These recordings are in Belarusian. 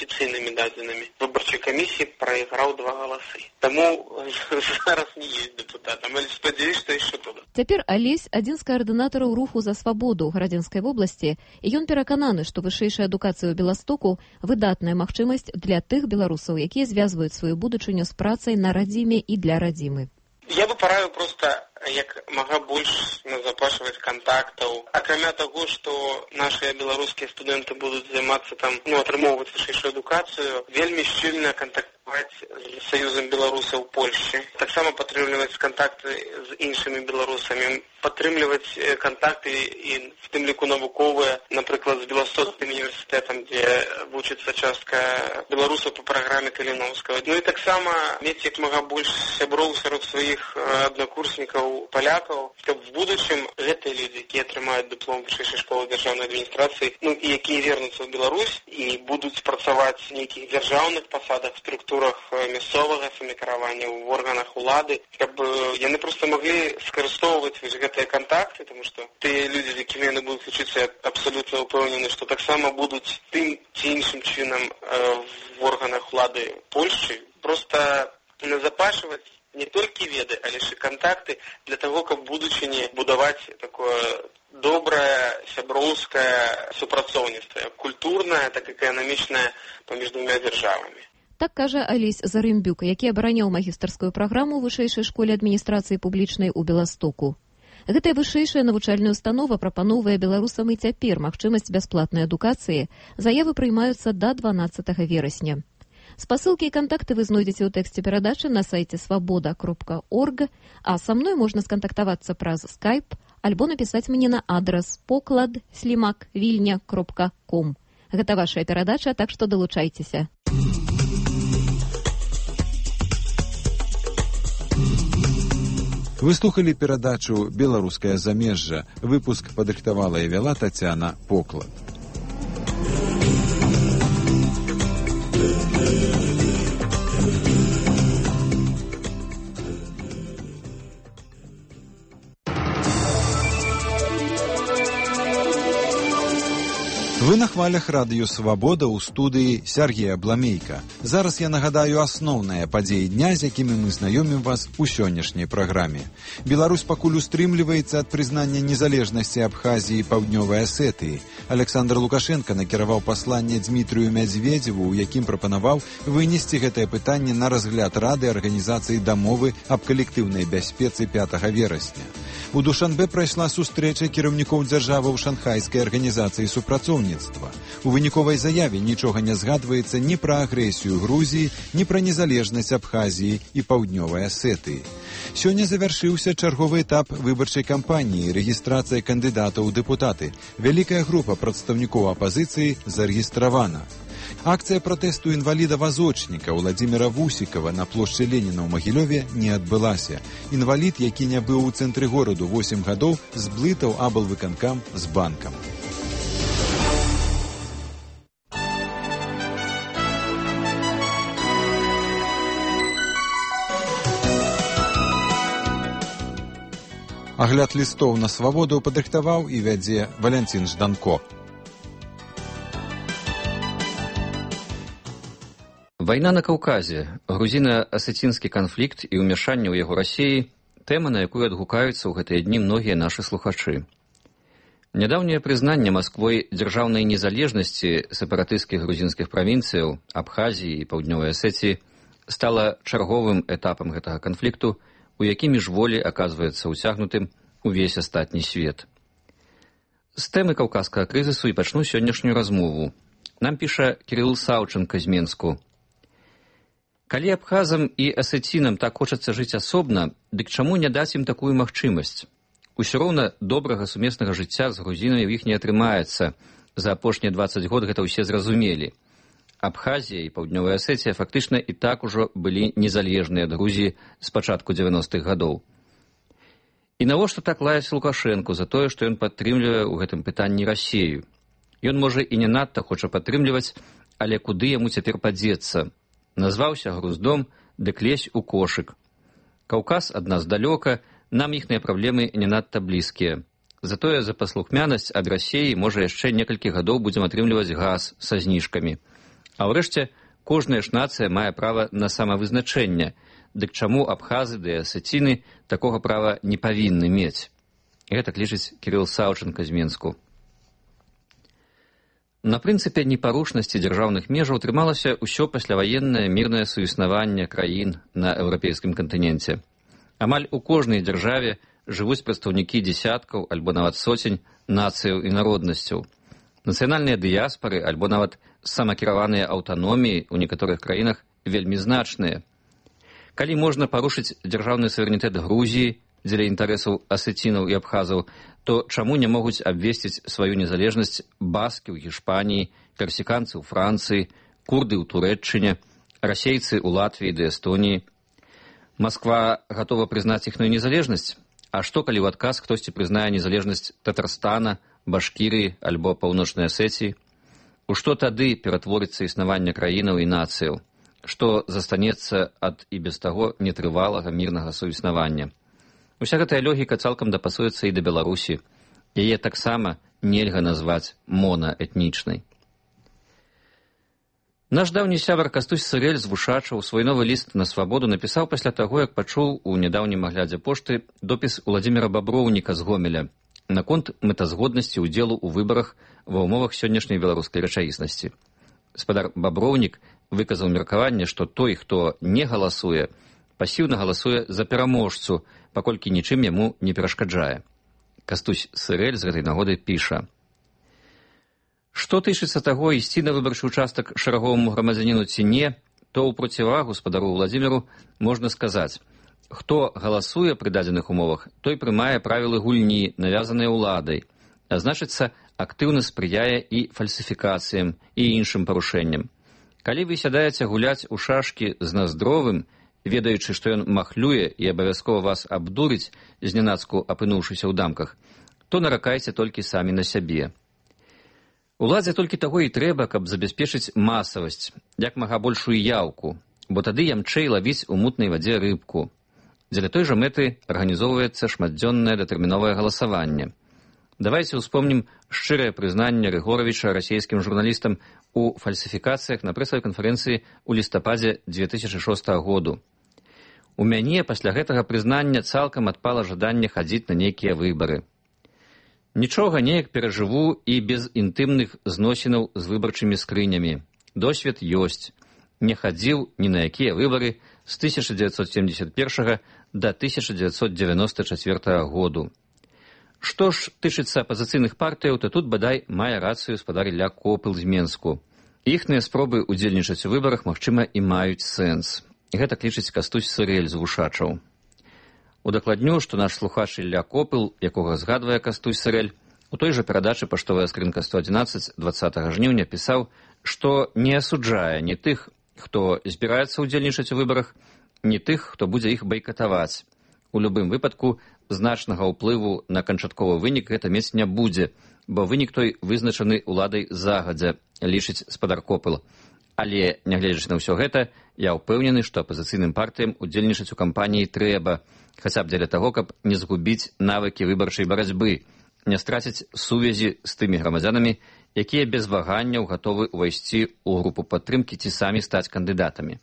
афіцыйнымі дадзенымі выбарчай камісіі прайграў 2 галасы. Таму зараз не ёсць дэпутатам, але спадзяюсь, што яшчэ туды. Цяпер Алесь адзін з каардынатараў руху за свабоду ў Гарадзенскай вобласці, і ён перакананы, што вышэйшая адукацыя ў Беластоку выдатная магчымасць для тых беларусаў, якія звязваюць сваю будучыню з працай на радзіме і для радзімы. Я бы параю проста як мага больш назапашваць кантактаў. Акрамя таго, што нашыя беларускія студэнты будуць займацца там, атрымоўваць вышэйшую адукацыю, вельмі шчыльна кантактаваць з Саюзам беларусаў Польшчы. Таксама падтрымліваць кантакты з іншымі беларусамі, падтрымліваць кантакты і в тым ліку навуковыя, напрыклад, з Беластоцкім універсітэтам, дзе вучыцца частка беларусаў па праграме Каліноўскага. І таксама мець як мага больш сяброў сярод сваіх аднакурснікаў палякаў, каб в будучым гэтыя людзі, якія атрымаюць дыплом вышэйшай школы дзяржаўнай адміністрацыі, і якія вернуцца ў Беларусь і будуць працаваць в нейкіх дзяржаўных пасадах, структурах мясцовага самакіравання, в органах улады, каб яны проста маглі скарыстоўваць гэтыя кантакты, тому што тыя людзі, з якімі яны будуць лічыцца, абсалютна ўпэўнены, што таксама будуць тым ці іншым чынам в органах улады Польшчы, проста назапашваць не толькі веды, але ж і кантакты для таго, каб в будучыні будаваць такое добрае сяброўскае супрацоўніцтва, як культурнае, так і эканамічнае паміж двума дзяржавамі. Так кажа Алесь Зарымбюк, які абараняў магістарскую праграму ў вышэйшай школе адміністрацыі публічнай у Беластоку. Гэтая вышэйшая навучальная установа прапановвае беларусам і цяпер магчымасць бясплатнай адукацыі. Заявы прыймаюцца да 12 верасня. Спасылкі і кантакты вы знойдзеце ў тэксце перадачы на сайце свабода.орг, а са мной можна скантактавацца праз Skype альбо напісаць мне на адрас poklad@vilnya.com. Гэта вашая перадача, так што далучайцеся. Вы слухалі перадачу «Беларускае замежжа». Выпуск падрыхтавала і вяла Тацяна Поклад. Вы на хвалях радыё «Свабода» ў студыі Сергея Бламейка. Зараз я нагадаю асноўныя падзеі дня, з якімі мы знаёмім вас у сённяшняй праграме. Беларусь пакуль устрымліваецца ад прызнання незалежнасці Абхазіі і Паўднёвай Асетыі. Александр Лукашенко накіраваў пасланне Дмітрыю Мядзведзеву, у якім прапанаваў вынесці гэтае пытанне на разгляд Рады Арганізацыі дамовы аб калектыўнай бяспецы 5 верасня. У Душанбе прайшла сустрэча кіраўнікоў дзяржаваў Шанхайскай арганізацыі супрацоўніцтва. У выніковай заяве нічога не згадваецца ні пра агрэсію Грузіі, ні пра незалежнасць Абхазіі і Паўднёвай Асетыі. Сёння завяршыўся чарговы этап выбарчай кампаніі, рэгістрацыя кандыдатаў у дэпутаты. Вялікая група прадстаўнікоў апазіцыі зарэгістравана. Акцыя пратэсту інваліда-вазочніка Владзіміра Вусікава на плошчы Леніна ў Магілёве не адбылася. Інвалід, які не быў у цэнтры гораду 8 гадоў, зблытаў аблвыканкам з банкам. Агляд лістоў на свабоду падрыхтаваў і вядзе Валянцін Жданко. Вайна на Каўказе, грузіна-асецінскі канфлікт і ўмяшанне ў яго Расіі – тэма, на якую адгукаюцца ў гэтыя дні многія нашы слухачы. Нядаўняе прызнанне Масквой дзяржаўнай незалежнасці сепаратысцкіх грузінскіх правінцыяў Абхазіі і Паўднёвай Асетіі стала чарговым этапам гэтага канфлікту, у які міжволі аказваецца ўцягнутым увесь астатні свет. З тэмы каўказскага крызісу і пачну сённяшнюю размову. Нам піша Кірыл Саўчынка з Менску. Калі абхазам і асецінам так хочацца жыць асобна, дык чаму не даць ім такую магчымасць? Усё роўна добрага сумеснага жыцця з грузінамі ў іх не атрымаецца. За апошнія 20 год гэта ўсе зразумелі. Абхазія і Паўднёвая Асетія фактычна і так ужо былі незалежныя ад Грузіі з пачатку 90-х гадоў. І навошта так лаяць Лукашэнку за тое, што ён падтрымлівае ў гэтым пытанні Расію? Ён, можа, і не надта хоча падтрымліваць, але куды яму цяпер падзецца? Назваўся груздом, дык лезь у кошык. Каўказ ад нас далёка, нам іхныя праблемы не надта блізкія. Затое за паслухмянасць ад Расіі, можа, яшчэ некалькі гадоў будзем атрымліваць газ са зніжкамі. А ўрэшце, кожная ж нацыя мае права на самавызначэнне, дык чаму абхазы ды асеціны такога права не павінны мець? Гэтак лічыць Кірыл Саўчанка з Мінску. На прынцыпе непарушнасці дзяржаўных межаў трымалася ўсё пасляваеннае мірнае суіснаванне краін на еўрапейскім кантыненце. Амаль у кожнай дзяржаве жывуць прадстаўнікі дзесяткаў альбо нават соцень нацыяў і народнасцяў. Нацыянальныя дыяспары альбо нават самакіраваныя аўтаноміі ў некаторых краінах вельмі значныя. Калі можна парушыць дзяржаўны суверэнітэт Грузіі дзеля інтарэсаў асецінаў і абхазаў, то чаму не могуць абвесціць сваю незалежнасць баскі ў Гішпаніі, персіканцы ў Францыі, курды ў Турэччыне, расейцы ў Латвіі ды Эстоніі? Масква гатова прызнаць іхную незалежнасць? А што, калі ў адказ хтосьці прызнае незалежнасць Татарстана, Башкірыі альбо Паўночнай Асеціі? У што тады ператворыцца існаванне краінаў і нацыяў? Што застанецца ад і без таго нетрывалага мірнага суіснавання? Уся гэтая логіка цалкам дапасуецца і да Беларусі. Яе таксама нельга назваць монаэтнічнай. Наш даўні сябар Кастусь Сырэль з Вушачаў свой новы ліст на свабоду напісаў пасля таго, як пачуў у нядаўнім аглядзе пошты допіс Уладзіміра Баброўніка з Гомеля наконт мэтазгоднасці ўдзелу ў выбарах ва ўмовах сённяшняй беларускай рэчаіснасці. Спадар Баброўнік выказаў меркаванне, што той, хто не галасуе, пасіўна галасуе за пераможцу, паколькі нічым яму не перашкаджае. Кастусь Сырэль з гэтай нагоды піша: «Што тычыцца таго, ісці на выбарчы ўчастак шараговаму грамадзяніну ці не, то ў процівагу спадару Уладзіміру можна сказаць: хто галасуе пры дадзеных умовах, той прымае правілы гульні, навязаныя ўладай, а значыцца, актыўна спрыяе і фальсіфікацыям і іншым парушэнням. Калі вы сядаеце гуляць у шашкі з Наздровым, ведаючы, што ён махлюе і абавязкова вас абдурыць, знянацку апынуўшыся ў дамках, то наракайце толькі самі на сябе. Уладзе толькі таго і трэба, каб забяспечыць масавасць, як мага большую яўку, бо тады ямчэй лавіць у мутнай вадзе рыбку. Дзеля той жа мэты арганізоўваецца шматдзённае датэрміновае галасаванне. Давайце ўспомнім шчырае прызнанне Рыгоравіча расійскім журналістам у фальсіфікацыях на прэсавай канферэнцыі ў лістападзе 2006 году. У мяне пасля гэтага прызнання цалкам адпала жаданне хадзіць на нейкія выбары. Нічога неяк перажыву і без інтымных зносінаў з выбарчымі скрынямі. Досвед ёсць. Не хадзіў ні на якія выбары з 1971 да 1994 году. Што ж тычыцца апазіцыйных партыяў, то тут бадай мае рацыю спадар Ілля Копыл з Менску. Іхныя спробы ўдзельнічаць у выбарах, магчыма, і маюць сэнс. Гэта лічыць Кастусь Сырэль з Вушачаў. Удакладню, што наш слухач Ілля Копыл, якога згадвае Кастусь Сырэль, у той жа перадачы «Паштовая скрынка 111» 20 жніўня пісаў, што не асуджае ні тых, хто збіраецца ўдзельнічаць у выбарах, ні тых, хто будзе іх байкатаваць. У любым выпадку значнага ўплыву на канчатковы вынік гэта мець не будзе, бо вынік той вызначаны ўладай загадзя, лічыць спадар Копыл. Але, нягледзячы на ўсё гэта, я ўпэўнены, што апазіцыйным партыям удзельнічаць у кампаніі трэба, хаця б дзеля таго, каб не згубіць навыкі выбарчай барацьбы, не страціць сувязі з тымі грамадзянамі, якія без ваганняў гатовы ўвайсці ў групу падтрымкі ці самі стаць кандыдатамі.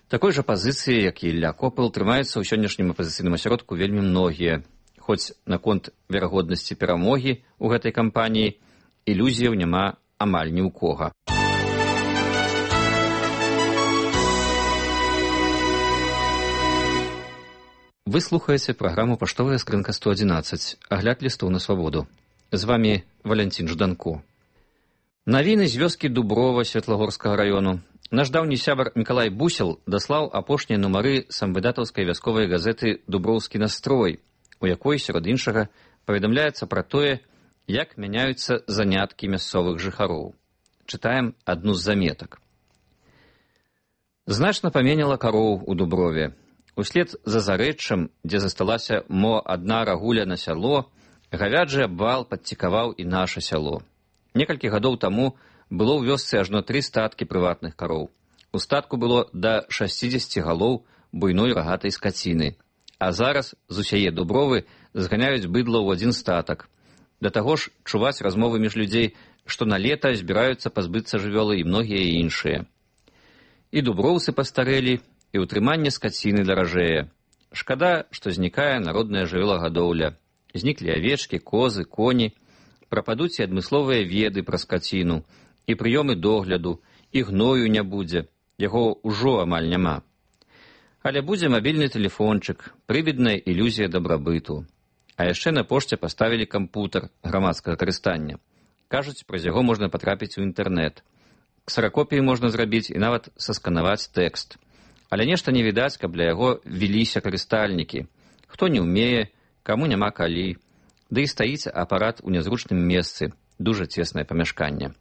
Такой жа пазіцыі, як і Ілля Копыл, трымаюцца ў сённяшнім апазіцыйным асяродку вельмі многія, хоць наконт верагоднасці перамогі ў гэтай кампаніі ілюзіяў няма амаль ні ў кога. Вы слухаеце праграму «Паштовая скрынка 111», агляд лістоў на свабоду. З вамі Валянцін Жданко. Навіны з вёскі Дуброва Светлагорскага раёну. Наш даўні сябар Мікалай Бусел даслаў апошнія нумары самвыдатаўскай вясковай газеты «Дуброўскі настрой», у якой, сярод іншага, паведамляецца пра тое, як мяняюцца заняткі мясцовых жыхароў. Чытаем адну з заметак. Значна паменяла кароў у Дуброве. Услед за зарэччам, дзе засталася мо адна рагуля на сяло, гавяджы абвал падцікаваў і наша сяло. Некалькі гадоў таму было ў вёсцы ажно 3 статкі прыватных кароў. У статку было да 60 галоў буйной рагатай скаціны. А зараз з усяе Дубровы зганяюць быдла ў адзін статак. Да таго ж чуваць размовы між людзей, што на лета збіраюцца пазбыцца жывёлы і многія іншыя. І дуброўцы пастарэлі, і ўтрыманне скаціны даражэе. Шкада, што знікае народная жывёлагадоўля. Зніклі авечкі, козы, коні, прападуць і адмысловыя веды пра скаціну, і прыёмы догляду, і гною не будзе, яго ўжо амаль няма. Але будзе мабільны тэлефончык, прывідная ілюзія дабрабыту. А яшчэ на пошце паставілі кампутар грамадскага карыстання. Кажуць, праз яго можна патрапіць у інтэрнэт. Ксеракопіі можна зрабіць і нават сасканаваць тэкст. Але нешта не відаць, каб для яго веліся карыстальнікі. Хто не ўмее, каму няма калі. Ды і стаіць апарат у нязручным месцы, дужа цеснае памяшканне.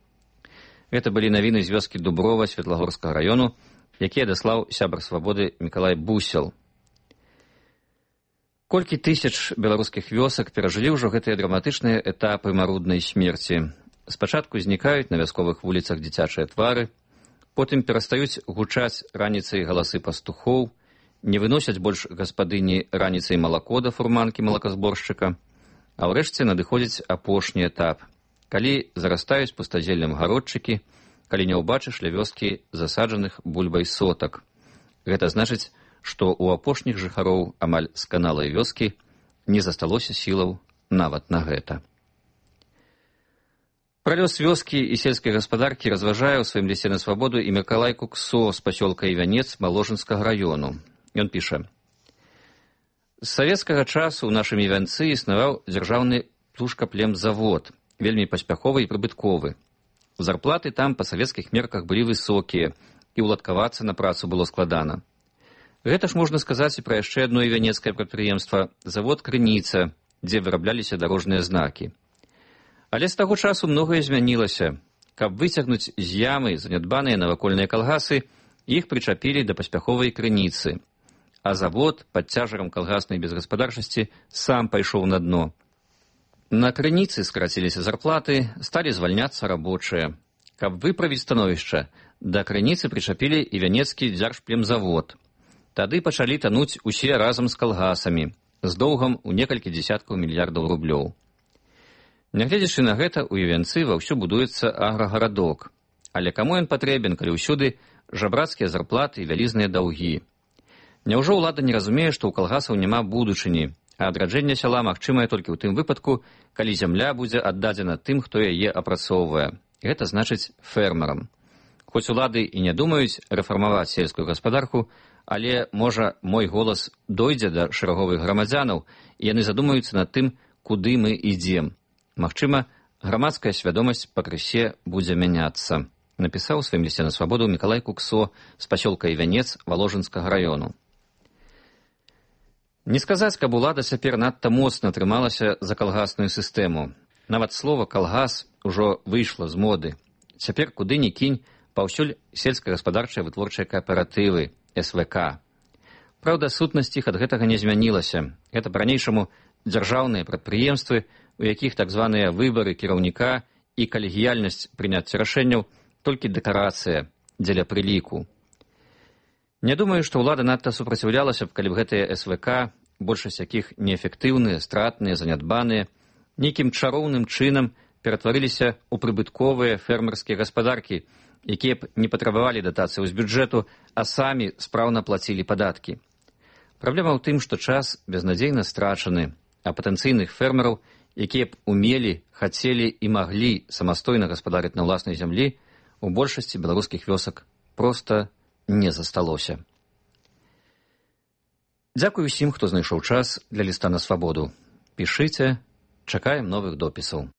Гэта былі навіны з вёскі Дуброва Светлагорскага раёну, якія даслаў сябар свабоды Мікалай Бусел. Колькі тысяч беларускіх вёсак перажылі ўжо гэтыя драматычныя этапы маруднай смерці. Спачатку знікаюць на вясковых вуліцах дзіцячыя твары, потым перастаюць гучаць раніцай галасы пастухоў, не выносяць больш гаспадыні раніцай малако да фурманкі малаказборшчыка, а ўрэшце надыходзіць апошні этап, калі зарастаюць пустазеллем гародчыкі, калі не ўбачыш ля вёскі засаджаных бульбай сотак. Гэта значыць, што ў апошніх жыхароў амаль сканалай вёскі не засталося сілаў нават на гэта. Пра лёс вёскі і сельскай гаспадаркі разважае ў сваім лісце на свабоду і Мікалай Куксо з пасёлка Івянец Маложынскага раёну. Ён піша: «З савецкага часу ў нашым Івянцы існаваў дзяржаўны птушкаплемзавод, вельмі паспяховы і прыбытковы. Зарплаты там па савецкіх мерках былі высокія, і ўладкавацца на працу было складана. Гэта ж можна сказаць і пра яшчэ адно івянецкае прадпрыемства – завод «Крыніца», дзе вырабляліся дарожныя знакі. Але з таго часу многае змянілася. Каб выцягнуць з ямы занядбаныя навакольныя калгасы, іх прычапілі да паспяховай крыніцы. А завод пад цяжарам калгаснай безгаспадарчасці сам пайшоў на дно. На крыніцы скараціліся зарплаты, сталі звальняцца рабочыя. Каб выправіць становішча, да крыніцы прычапілі івянецкі дзяржплемзавод. Тады пачалі тануць усе разам з калгасамі, з доўгам у некалькі дзесяткаў мільярдаў рублёў. Нягледзячы на гэта, у Івянцы ваўсю будуецца аграгарадок. Але каму ён патрэбен, калі ўсюды жабрацкія зарплаты і вялізныя даўгі? Няўжо ўлада не разумее, што ў калгасаў няма будучыні, а адраджэнне сяла магчымае толькі ў тым выпадку, калі зямля будзе аддадзена тым, хто яе апрацоўвае. Гэта значыць фермерам. Хоць улады і не думаюць рэфармаваць сельскую гаспадарку, але, можа, мой голас дойдзе да шэраговых грамадзянаў, і яны задумаюцца над тым, куды мы ідзем. Магчыма, грамадская свядомасць пакрысе будзе мяняцца, напісаў у сваім лісце на свабоду Мікалай Куксо з пасёлка Івянец Валожынскага раёну. Не сказаць, каб улада цяпер надта моцна трымалася за калгасную сістэму. Нават слова «калгас» ужо выйшла з моды. Цяпер куды ні кінь, паўсюль сельскагаспадарчыя вытворчыя кааператывы, СВК. Праўда, сутнасць іх ад гэтага не змянілася. Гэта па-ранейшаму дзяржаўныя прадпрыемствы, у якіх так званыя выбары кіраўніка і калегіяльнасць прыняцця рашэнняў толькі дэкарацыя дзеля прыліку. Не думаю, што ўлада надта супраціўлялася б, калі б гэтыя СВК, большасць якіх неэфектыўныя, стратныя, занядбаныя, нейкім чароўным чынам ператварыліся ў прыбытковыя фермерскія гаспадаркі, якія б не патрабавалі датацыяў з бюджэту, а самі спраўна плацілі падаткі. Праблема ў тым, што час безнадзейна страчаны, а патэнцыйных фермераў, якія б умелі, хацелі і маглі самастойна гаспадарыць на ўласнай зямлі, у большасці беларускіх вёсак проста не засталося. Дзякую усім, хто знайшоў час для ліста на свабоду. Пішыце, чакаем новых допісаў.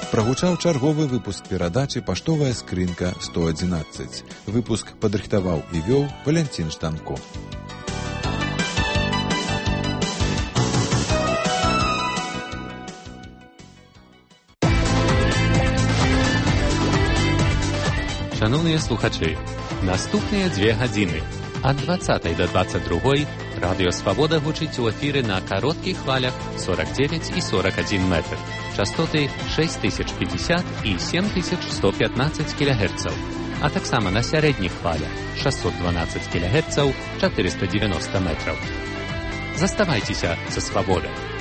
Прагучаў чарговы выпуск перадачы «Паштовая скрынка 111». Выпуск падрыхтаваў і вёў Валянцін Штанко. Шановныя слухачы, наступныя 2 гадзіны ад 20 до 22 радыё «Свабода» гучыць у эфіры на кароткіх хвалях 49 і 41 метр, частоты 6050 і 7115 кГц, а таксама на сярэдніх хвалях 612 кГц, 490 метраў. Заставайцеся са свабодай.